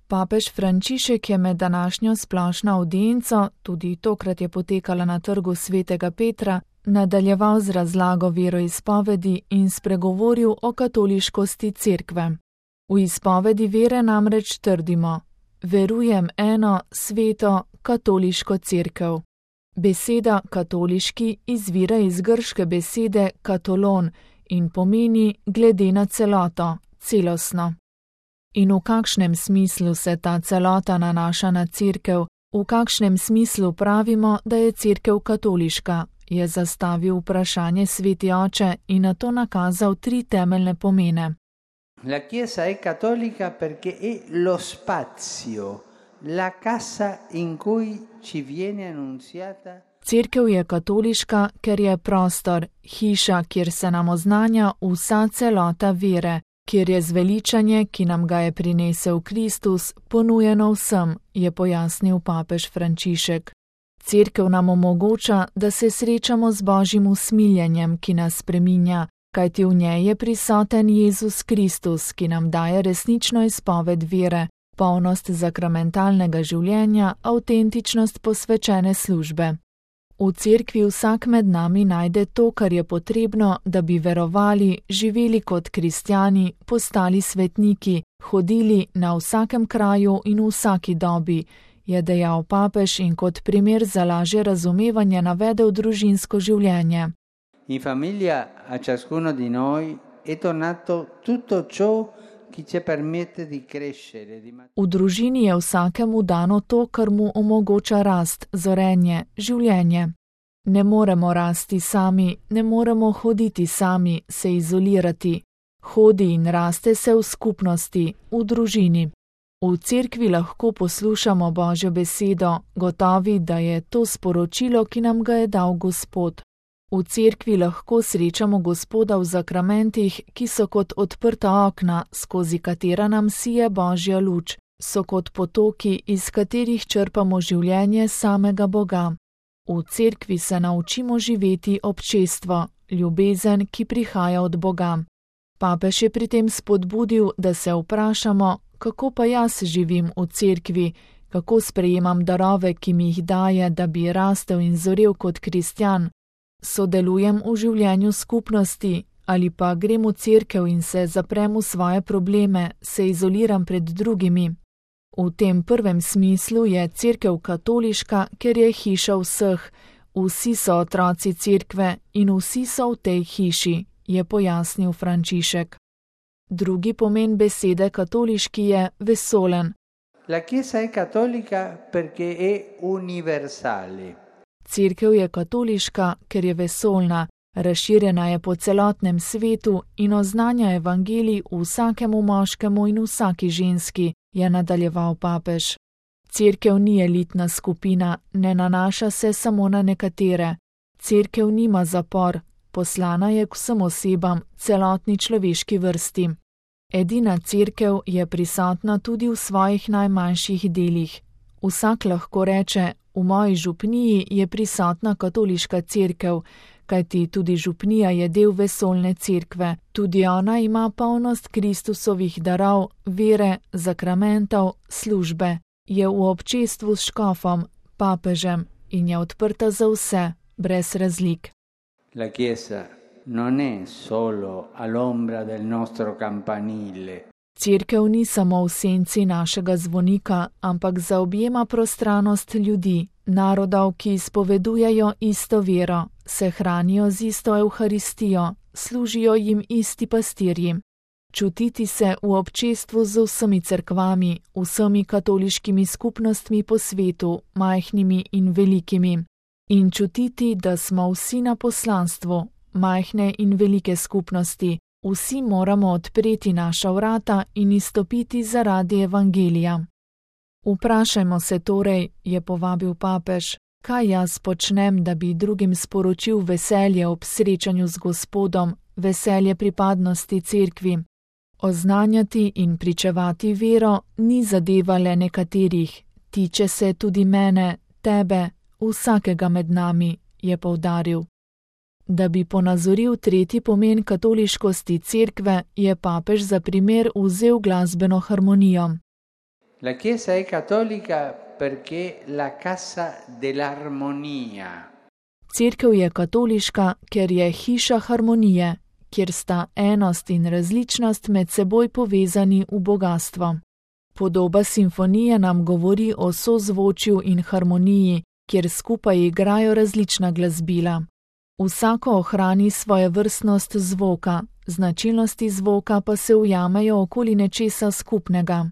Papež Frančišek je med današnjo splošno avdienco, tudi tokrat je potekala na trgu Svetega Petra, nadaljeval z razlago veroizpovedi in spregovoril o katoliškosti cerkve. V izpovedi vere namreč trdimo: verujem eno sveto katoliško cerkev. Beseda katoliški izvira iz grške besede katolon in pomeni glede na celoto, celostno. In v kakšnem smislu se ta celota nanaša na cerkev, v kakšnem smislu pravimo, da je cerkev katoliška, je zastavil vprašanje sveti oče in nato nakazal 3 temeljne pomene. La Chiesa è cattolica perché è lo spazio, la casa in cui ci viene annunziata. Cerkev je katoliška, ker je prostor, hiša, kjer se nam oznanja vsa celota vere, kjer je zveličanje, ki nam ga je prinesel Kristus, ponujeno vsem, je pojasnil papež Frančišek. Cerkev nam omogoča, da se srečamo z Božjim usmiljenjem, ki nas spreminja, kajti v njej je prisoten Jezus Kristus, ki nam daje resnično izpoved vere, polnost zakramentalnega življenja, avtentičnost posvečene službe. V cerkvi vsak med nami najde to, kar je potrebno, da bi verovali, živeli kot kristjani, postali svetniki, hodili na vsakem kraju in v vsaki dobi, je dejal papež in kot primer za lažje razumevanje navedel družinsko življenje. In famiglia a ciascuno di noi è donato tutto ciò che ci permette di crescere. V družini je vsakemu dano to, kar mu omogoča rast, zorenje, življenje. Ne moremo rasti sami, ne moremo hoditi sami, se izolirati. Hodi in raste se v skupnosti, v družini. V cerkvi lahko poslušamo Božjo besedo, gotovi, da je to sporočilo, ki nam ga je dal Gospod. V cerkvi lahko srečamo Gospoda v zakramentih, ki so kot odprta okna, skozi katera nam sije Božja luč, so kot potoki, iz katerih črpamo življenje samega Boga. V cerkvi se naučimo živeti občestvo, ljubezen, ki prihaja od Boga. Papež je pri tem spodbudil, da se vprašamo, kako pa jaz živim v cerkvi, kako sprejemam darove, ki mi jih daje, da bi rastel in zorel kot kristjan. Sodelujem v življenju skupnosti ali pa grem v cerkev in se zaprem v svoje probleme, se izoliram pred drugimi. V tem prvem smislu je cerkev katoliška, ker je hiša vseh, vsi so otroci cerkve in vsi so v tej hiši, je pojasnil Frančišek. Drugi pomen besede katoliški je vesolen. La Chiesa è cattolica perché è universale. Cerkev je katoliška, ker je vesoljna, razširjena je po celotnem svetu in oznanja evangelij vsakemu moškemu in vsaki ženski, je nadaljeval papež. Cerkev ni elitna skupina, ne nanaša se samo na nekatere. Cerkev nima zapor, poslana je k vsem osebam, celotni človeški vrsti. Edina cerkev je prisotna tudi v svojih najmanjših delih. Vsak lahko reče, v moji župniji je prisotna katoliška cerkev, kajti tudi župnija je del vesoljne cerkve. Tudi ona ima polnost Kristusovih darov, vere, zakramentov, službe. Je v občestvu s škofom, papežem in je odprta za vse, brez razlik. La Chiesa non è solo all'ombra del nostro campanile. Cerkev ni samo v senci našega zvonika, ampak zaobjema prostranost ljudi, narodov, ki izpovedujejo isto vero, se hranijo z isto evharistijo, služijo jim isti pastirji. Čutiti se v občestvu z vsemi cerkvami, vsemi katoliškimi skupnostmi po svetu, majhnimi in velikimi. In čutiti, da smo vsi na poslanstvu, majhne in velike skupnosti, vsi moramo odpreti naša vrata in izstopiti zaradi evangelija. Vprašajmo se torej, je povabil papež, kaj jaz počnem, da bi drugim sporočil veselje ob srečanju z Gospodom, veselje pripadnosti cerkvi. Oznanjati in pričevati vero ni zadeva le nekaterih, tiče se tudi mene, tebe, vsakega med nami, je poudaril. Da bi ponazoril tretji pomen katoliškosti cerkve, je papež za primer vzel glasbeno harmonijo. La Chiesa è cattolica perché è la casa dell'armonia. Cerkev je katoliška, ker je hiša harmonije, kjer sta enost in različnost med seboj povezani v bogastvo. Podoba simfonije nam govori o sozvočju in harmoniji, kjer skupaj igrajo različna glasbila. Vsako ohrani svojo vrstnost zvoka, značilnosti zvoka pa se ujamejo okoli nečesa skupnega.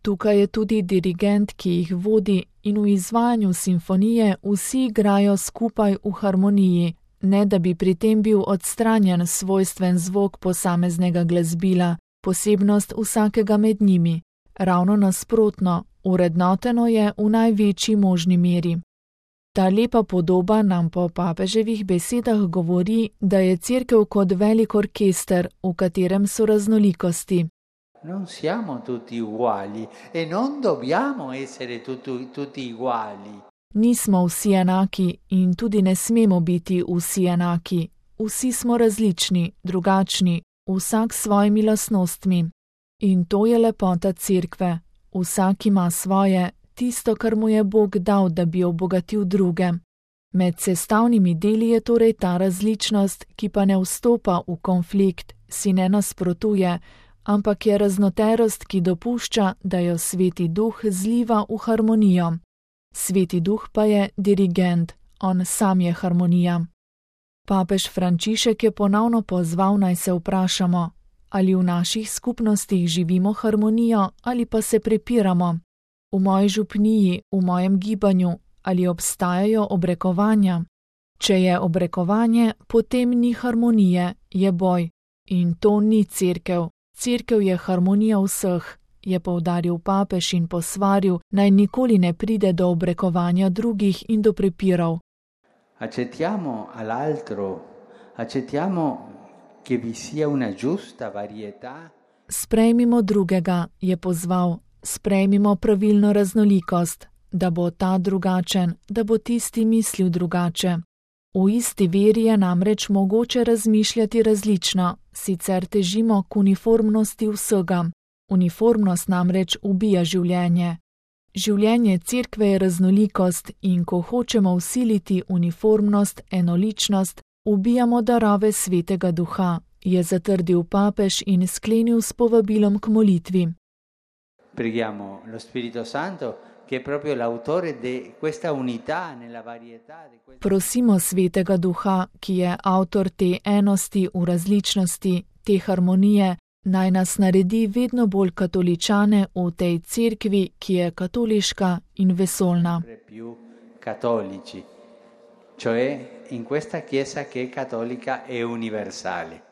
Tukaj je tudi dirigent, ki jih vodi, in v izvajanju simfonije vsi igrajo skupaj v harmoniji, ne da bi pri tem bil odstranjen svojstven zvok posameznega glasbila, posebnost vsakega med njimi. Ravno nasprotno, urednoteno je v največji možni meri. Ta lepa podoba nam po papeževih besedah govori, da je Cerkev kot velik orkester, v katerem so raznolikosti. Non siamo tutti uguali e non dobbiamo essere tutti uguali. Nismo vsi enaki in tudi ne smemo biti vsi enaki. Vsi smo različni, drugačni, vsak s svojimi lastnostmi. In to je lepota Cerkve. Vsak ima svoje, tisto, kar mu je Bog dal, da bi obogatil druge. Med sestavnimi deli je torej ta različnost, ki pa ne vstopa v konflikt, si ne nasprotuje, ampak je raznoterost, ki dopušča, da jo Sveti Duh zliva v harmonijo. Sveti Duh pa je dirigent, on sam je harmonija. Papež Frančišek je ponovno pozval, naj se vprašamo, ali v naših skupnostih živimo harmonijo ali pa se prepiramo. V moji župniji, v mojem gibanju, ali obstajajo obrekovanja. Če je obrekovanje, potem ni harmonije, je boj. In to ni Cerkev. Cerkev je harmonija vseh, je poudaril papež in posvaril, naj nikoli ne pride do obrekovanja drugih in do prepirov. Accettiamo all'altro, accettiamo che vi sia una giusta varietà. Sprejmimo drugega, je pozval, sprejmimo pravilno raznolikost, da bo ta drugačen, da bo tisti mislil drugače. V isti veri je namreč mogoče razmišljati različno, sicer težimo k uniformnosti vsega. Uniformnost namreč ubija življenje. Življenje Cerkve je raznolikost in ko hočemo vsiliti uniformnost, enoličnost, ubijamo darove Svetega Duha, je zatrdil papež in sklenil s povabilom k molitvi. Preghiamo lo Spirito Santo, che è proprio l'autore di questa unità nella varietà. Prosimo Svetega Duha, ki je avtor te enosti v različnosti, te harmonije, naj nas naredi vedno bolj katoličane v tej Cerkvi, ki je katoliška in vesoljna. Più cattolici, cioè in questa Chiesa che è cattolica e universale.